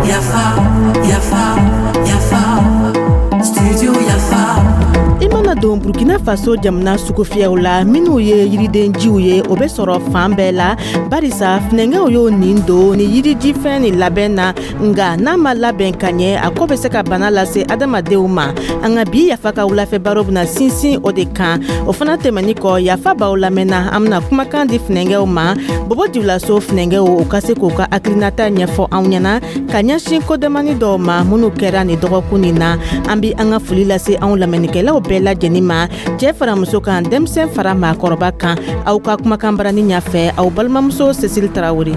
Yafa, yafa, yafa, studio Yafa. I mana don Burkina Faso jamana sugufiyɛw la, minw ye yiridenjiw ye, o bɛ sɔrɔ fan bɛɛ la, barisa funɛngɛw y'o nin don ni yirijifɛn nin labɛn na. Nga n'a ma labɛn ka ɲɛ, a ko bɛ se ka bana lase adamadenw ma. An ka bi Yafa ka wulafɛ baro bɛna sinsin o de kan. O fana tɛmɛni kɔ, Yafa b'aw lamɛnna, an bɛna kumakan di funɛngɛw ma, Bobo Julaso funɛngɛw, u ka se k'u ka hakilinata ɲɛfɔ anw ɲɛna ka ɲɛsin ko damani dɔw ma minnu kɛra nin dɔgɔkun nin na. An bi an ka foli lase anw lamɛnnikɛlaw bɛɛ lajɛlen ma, cɛɛ fara muso kan, denmisɛn fara maakɔrɔba kan. Aw ka kumakan barani ɲafɛ, aw balimamuso Cécile Tarawele.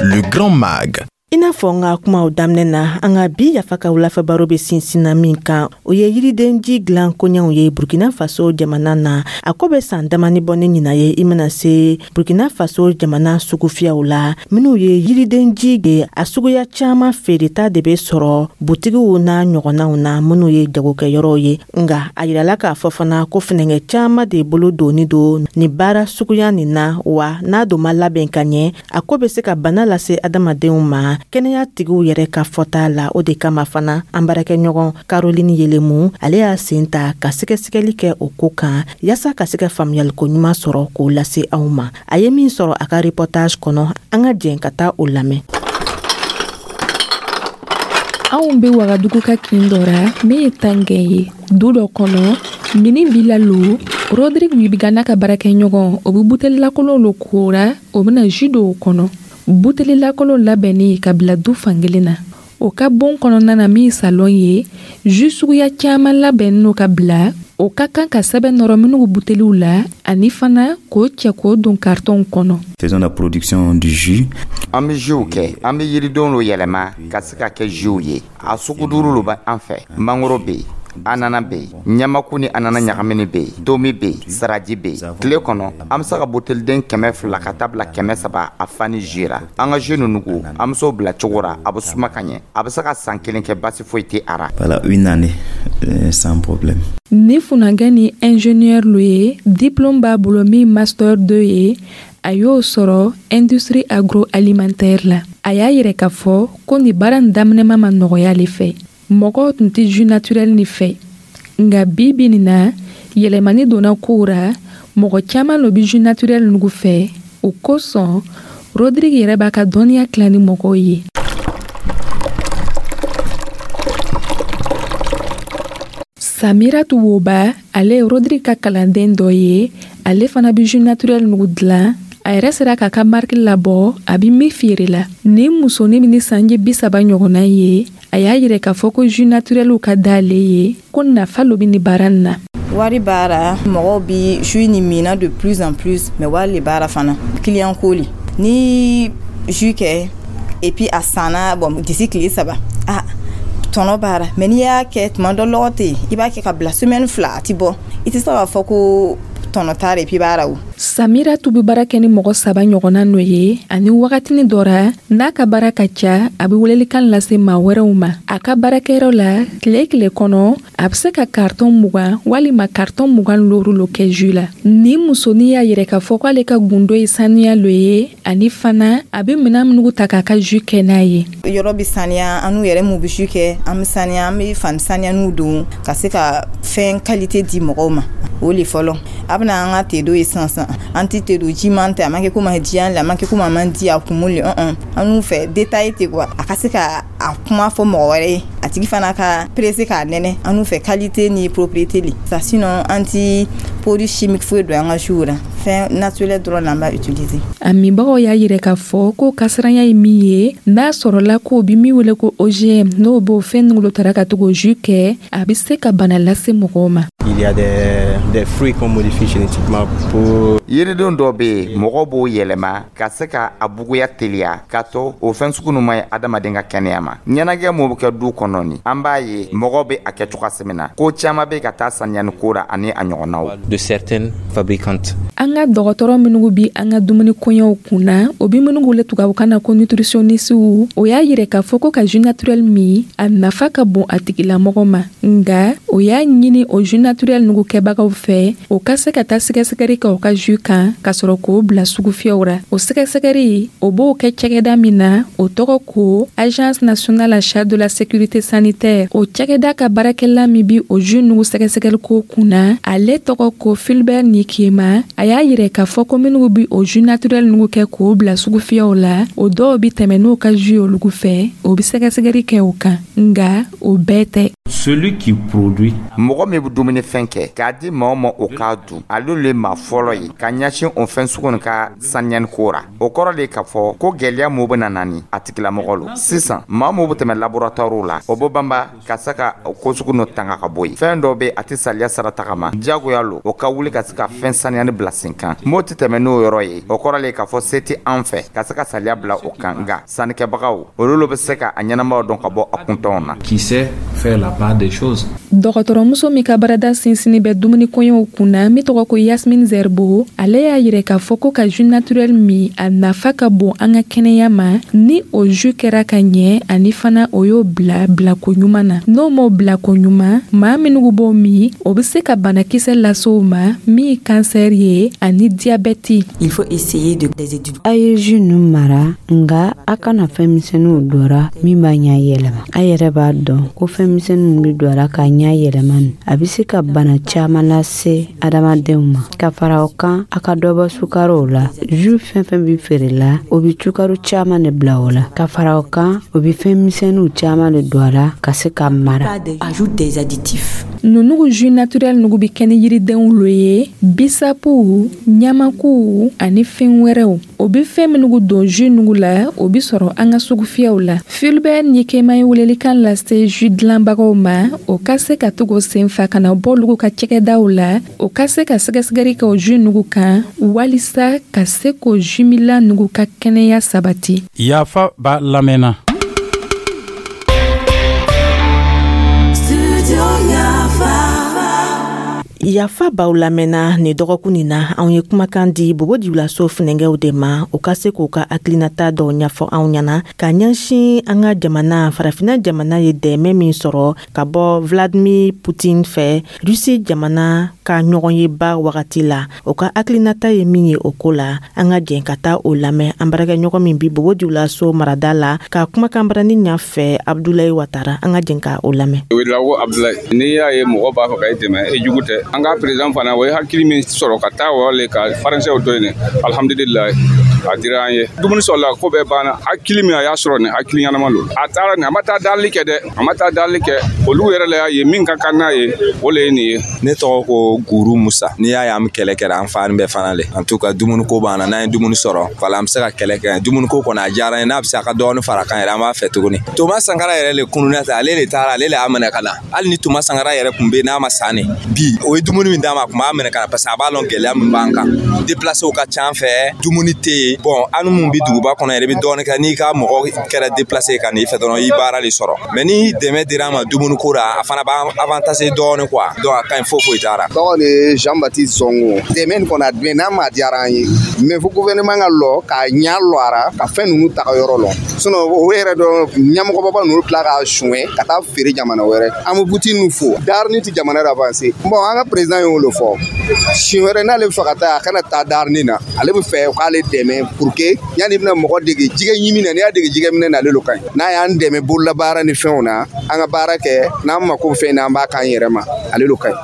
Le Grand Mag. I n'a fɔ n ka kumaw daminɛ na, an ka bi Yafa ka wulafɛ baro bɛ sinsinna min kan, o ye yiridenji dilan koɲɛw ye Burkina Faso jamana na. A ko bɛ san damani bɔ ni ɲinan ye, i mana se Burkina Faso jamana sugufiyɛw la, minw ye yiridenji ye, a suguya caman feereta de bɛ sɔrɔ butigiw n'a ɲɔgɔnnaw na, minnu ye jagokɛyɔrɔw ye. Nga a yirala k'a fɔ fana ko funɛngɛ caman de bolo donni don nin baara suguya nin na, wa n'a don ma labɛn ka ɲɛ, a ko bɛ se ka bana lase adamadenw ma, kɛnɛya tigiw yɛrɛ ka fɔta la. O de kama fana, an baarakɛɲɔgɔn Caroline Yelemu, ale y'a sen ta ka sɛgɛsɛgɛli kɛ o ko kan, yaasa ka se ka faamuyaliko ɲuman sɔrɔ k'o lase aw ma. A ye min sɔrɔ a ka reportage kɔnɔ, an ka jɛn ka taa o lamɛn. Anw be Wagadugu ka kin dɔ ra min ye Tangɛn ye. Du dɔ kɔnɔ, mini villa lo, Rodrigue Wibiga n'a ka baarakɛɲɔgɔn, o be buteli lakolon lo kora, o bena jus don o kɔnɔ. Buteli lakolon labɛnni ka bila du fankelen na. O ka bon kɔnɔna na min salon ye, jus suguya caman labɛnnen no ka bila. O ka kan ka sɛbɛn nɔrɔ minnu buteliw la, ani fana k'o cɛ k'o don kartɔnw kɔnɔ. Faisons la production du jus. An bɛ jusw kɛ, an bɛ yiridenw lo yɛlɛma ka se ka kɛ jusw ye. A sugu duuru lo bɛ an fɛ: mangoro bɛ yen, anana bɛ yen, ɲamaku ni anana ɲagamini bɛ yen, tomi bɛ yen, saraji bɛ yen. Tile kɔnɔ, an bɛ se ka buteliden 200 ka taa bila 300 a fani jus ra. An ka jus ninnu, an bɛ se bila cogo ra, a bɛ suma ka ɲɛ, a bɛ se ka san kelen kɛ, basi foyi tɛ a ra. Voilà, une année sans problème. Ni funankɛ ni ingénieur lo ye, diplôme b'a bolo min master 2 ye, a y'o sɔrɔ industrie agroalimentaire la. A y'a yɛrɛ k'a fɔ ko nin baara nin daminɛma ma nɔgɔya ale fɛ, mɔgɔw tun tɛ jus naturel nin fɛ. Nka bi bi nin na, yɛlɛmani donna kow ra, mɔgɔ caman lo bɛ jus naturel nugu fɛ. O kosɔn, Rodrigue yɛrɛ b'a ka dɔnniya tila ni mɔgɔw ye. Samiratu Woba, ale ye Rodrigue ka kalanden dɔ ye. Ale fana bɛ jus naturel nugu dilan. A yɛrɛ sera k'a ka marque labɔ a bɛ min feere la. Nin musonin min ni sanji 30 ɲɔgɔnna ye, a y'a yɛrɛ k'a fɔ ko jus naturelw ka d'ale ye, ko nafa lo bɛ nin baara nin na. Wari b'a ra, mɔgɔw bi jus nin minna de plus en plus, mais wari le b'a ra fana, client ko le. Ni jus kɛ et puis a sanna, bon, d'ici tile 3, ah, tɔnɔ b'a ra. Mais n'i y'a kɛ tuma dɔ, lɔgɔ tɛ yen, i b'a kɛ ka bila semaine 2, a ti bɔ, i tɛ se k'a fɔ ko tɔnɔ t'a la, et puis b'a ra o. Samira tun bɛ baara kɛ ni mɔgɔ saba ɲɔgɔnna n'o ye, ani wagatini dɔ ra, n'a ka baara ka ca, a bɛ welelikan lase maa wɛrɛw ma. A ka baarakɛyɔrɔ la, tile tile kɔnɔ, a bɛ se ka carton 20 walima carton 25 lo kɛ jus la. Nin musonin y'a yɛrɛ k'a fɔ k'ale ka gundo ye saniya lo ye, ani fana a bɛ minɛn minnu ta k'a ka jus kɛ n'a ye. Yɔrɔ bɛ saniya, an n'u yɛrɛ m'u bɛ jus kɛ, an bɛ saniya, an bɛ fani saniya n'u don ka se ka fɛn qualité di mɔgɔw ma. O le fɔlɔ. A bɛna an ka te do ye sisan sisan, an tɛ te don jiman tɛ, a ma kɛ komi a diya le, a ma kɛ komi a man di a kumu le, an n'u fɛ détail tɛ quoi, a ka se ka a kuma fɔ mɔgɔ wɛrɛ ye, a tigi fana ka pressé k'a nɛnɛ. An n'u fɛ qualité ni propriété le ça. Sinon an ti produit chimique foyi don an ka jus la, fɛn naturel dɔrɔn la an b'a utiliser. A minbagaw y'a yɛrɛ k'a fɔ ko kasiranya ye min ye, n'a sɔrɔla k'o bi min wele ko OGM, n'o b'o fɛn nugu tara ka to k'o jus kɛ, a bɛ se ka bana lase mɔgɔw ma. Il y a des fruits qu'on modifie génétiquement pour. Yiridenw dɔw bɛ yen, mɔgɔw b'o yɛlɛma ka se ka a buguya teliya, k'a to o fɛn sugu ninnu ma ɲi adamaden ka kɛnɛya ma. ma. Ɲɛnagɛ mun bɛ kɛ du kɔnɔ ni, an b'a ye mɔgɔw bɛ a kɛ cogoya min na, ko caman bɛ ka taa saniyani ko ra ani a ɲɔgɔnnaw. De certaines fabricantes. An ka dɔgɔtɔrɔ minnu bi an ka dumuni koɲɛw kunna, o bi minnu wele tubabukan na ko nutritionniste, o y'a yira k'a fɔ ko ka jus naturel min, a nafa ka bon a tigilamɔgɔ ma. Nga o y'a ɲini o jus naturel nugu kɛbagaw fɛ, o ka se ka taa sɛgɛsɛgɛri kɛ o ka jus kan ka sɔrɔ k'o bila sugufiyɛw ra. O sɛgɛsɛgɛri, o b'o kɛ cɛgɛda min na, o tɔgɔ ko Agence nationale en charge de la sécurité sanitaire. O cɛgɛda ka baarakɛla min bi o jus nugu sɛgɛsɛgɛli ko kunna, ale tɔgɔ ko Fulbert Nikema. A y'a yira k'a fɔ ko minnu bi o jus naturel nugu kɛ k'o bila sugufiyɛw la, o dɔw bi tɛmɛ n'o ka jus olugu fɛ, o bi sɛgɛsɛgɛli kɛ o kan, nga o bɛɛ tɛ. Celui qui produit. Mɔgɔ min bɛ dumunifɛn kɛ k'a di maa ma, o k'a dun, ale le maa fɔlɔ ye ka ɲɛsin o fɛn sugu nin ka saniyani ko ra. O kɔrɔ de k'a fɔ ko gwɛlɛya mun bɛ na nani a tigilamɔgɔ lo. Sisan, maa mun bɛ tɛmɛ laboratoire la, o bɛ banba ka se ka ko sugu n'o tanga ka bɔ yen. Fɛn dɔ bɛ, a tɛ saliya sara tagama, diyagoya lo o ka wuli ka se ka fɛn saniyani bila sen kan. M'o tɛ tɛmɛ n'o yɔrɔ ye, o kɔrɔ le k'a fɔ se tɛ an fɛ ka se ka saliya bila o kan. Nka sannikɛbagaw, olu lo bɛ se ka a ɲɛnamaw dɔn ka bɔ a kuntɔnw na. Qui sait faire la part des choses. Dɔgɔtɔrɔmuso min ka baarada sinsinni bɛ dumuni koɲɛw kunna, min tɔgɔ ko Yasmine Zerbo, ale y'a yira k'a fɔ ko ka jus naturel min, a nafa ka bon an ka kɛnɛya ma, ni o jus kɛra ka ɲɛ, ani fana o y'o bila bilako ɲuman na. N'o m'o bilako ɲuman, maa minnu b'o min, o bɛ se ka banakisɛ lase o ma, min ye kansɛri ye ani diyabɛti. Il faut essayer de des études. A ye jus ninnu mara, nga a kana fɛn misɛnninw dɔra min b'a ɲa yɛlɛma. A yɛrɛ b'a dɔn ko fɛn misɛnninw bɛ don a la k'a ɲa yɛlɛma nin, a bɛ se ka bana caman lase adamadenw ma. Ka fara o kan, a ka dɔ bɔ sukarow la. Jus fɛn fɛn bɛ feere la, o bɛ sukaro caman de bila o la. Ka fara o kan, o bɛ fɛn misɛnninw caman de don a la ka se ka mara. Ajoute des additifs. Nunugu jus naturel nugu bi kɛ ni yiridenw lo ye, bisapu, ɲamaku ani fɛn wɛrɛw. O bi fɛn minugu don jus nugu la, o bi sɔrɔ an ka sugufiyɛw la. Fulbert Nikema ye welelikan lase jus dilanbagaw ma, o ka se ka to k'o sen fa ka na bɔ olugu ka cɛgɛdaw la, o ka se ka sɛgɛsɛgɛli kɛ o jus nugu kan, walisa ka se k'o jus minla nugu ka kɛnɛya sabati. Yafa b'a lamɛnna. Studio Yafa. Yafa b'aw lamɛnna. Nin dɔgɔkun nin na, anw ye kumakan di Bobo Dioulasso funɛngɛw de ma, u ka se k'u ka hakilinata dɔw ɲɛfɔ anw ɲɛna ka ɲɛsin an ka jamana, Farafina jamana ye dɛmɛ min sɔrɔ ka bɔ Vladimir Poutine fɛ Rusi jamana ka ɲɔgɔnyeba wagati la. O ka hakilinata ye min ye o ko la, an ka jɛn ka taa o lamɛn an baarakɛɲɔgɔn min bi Bobo Dioulasso marada la ka kumakan barani ɲɛfɛ, Abdulayi Watara. An ka jɛn ka o lamɛn. Ouédraogo Abdulayi. N'i y'a ye mɔgɔ b'a fɛ ka i dɛmɛ, e jugu tɛ. An ka président fana, o ye hakili min sɔrɔ ka taa o le ka faransɛw to yen, alhamdulilayi, a dira an ye dumuni sɔrɔla, ko bɛɛ banna. Hakili min a y'a sɔrɔ nin, hakili ɲɛnama don. A taara nin, a ma taa dalili kɛ dɛ, a ma taa dalili kɛ. Olu yɛrɛ la y'a ye min ka kan n'a ye, o le ye nin ye. Ne tɔgɔ ko Guru Musa. N'i y'a ye an bɛ kɛlɛ kɛra, an farin bɛɛ fana le. En tout cas, dumuni ko b'an na. N'an ye dumuni sɔrɔ, wala an bɛ se ka kɛlɛ kɛ. Dumuni ko kɔni, a diyara n ye. N'a bɛ se a ka dɔɔni fara kan yɛrɛ, an b'a fɛ tuguni. Thomas Sankara yɛrɛ le kununna ta, ale le taara, ale le y'a minɛ ka na. Hali ni Thomas Sankara yɛrɛ kun bɛ, n'a ma san ne bi, o ye dumuni min d'a ma, a kun b'a minɛ ka na, parce que a b'a lɔn gɛlɛya min b'an kan. Déplacé ka ca an fɛ, dumuni tɛ yen. Bon, an mun bɛ duguba kɔnɔ yɛrɛ, i bɛ dɔɔnin kɛ n'i ka mɔgɔ kɛra déplacé ka n'i fɛ dɔrɔn, i baara de sɔrɔ. Mais ni dɛmɛ dira an ma dumuni ko la, a fana b'an avantage dɔɔnin quoi. Donc a ka ɲi, foyi foyi t'a la. Tɔgɔ de ye Jean Baptiste Zongo. Dɛmɛ nin kɔni, a dɛmɛ n'a ma diyara an ye, mais fo gouvernement ka lɔ k'a ɲa lɔ a ra ka fɛn ninnu taga yɔrɔ lɔ. Sinon o yɛrɛ dɔn, ɲɛmɔgɔbaba ninnu tila k'a suɲɛ ka taa feere jamana wɛrɛ. An bɛ Poutine fo, darini tɛ jamana avancer. Bon, an ka président y'o le fɔ, siɲɛ wɛrɛ n'ale bɛ fɛ ka taa, a kana taa darini na. Ale bɛ fɛ k'ale dɛmɛ pour que yanni i bɛna mɔgɔ dege jɛgɛ ɲimi na, n'i y'a dege jɛgɛ minɛ na, ale lo ka ɲi. N'a y'an dɛmɛ bololabaara ni fɛnw na, an ka baara kɛ, n'an mako bɛ fɛn na, an b'a k'an yɛrɛ ma, ale lo ka ɲi.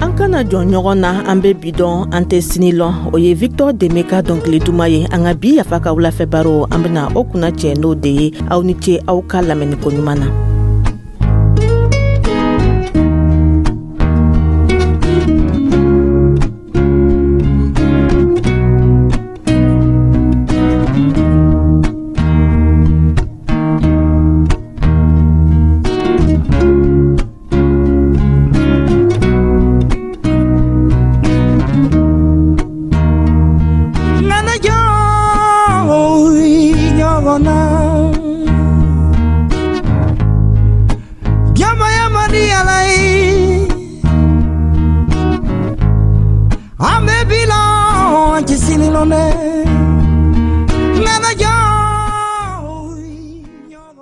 An kana jɔn ɲɔgɔn na, an bɛ bi dɔn, an tɛ sini lɔn. O ye Victor Deme ka dɔnkili duman ye. An ka bi Yafa ka wulafɛ baro, an bɛna o kunna cɛ n'o de ye. Aw ni ce aw ka lamɛnni ko ɲuman na.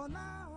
Kona.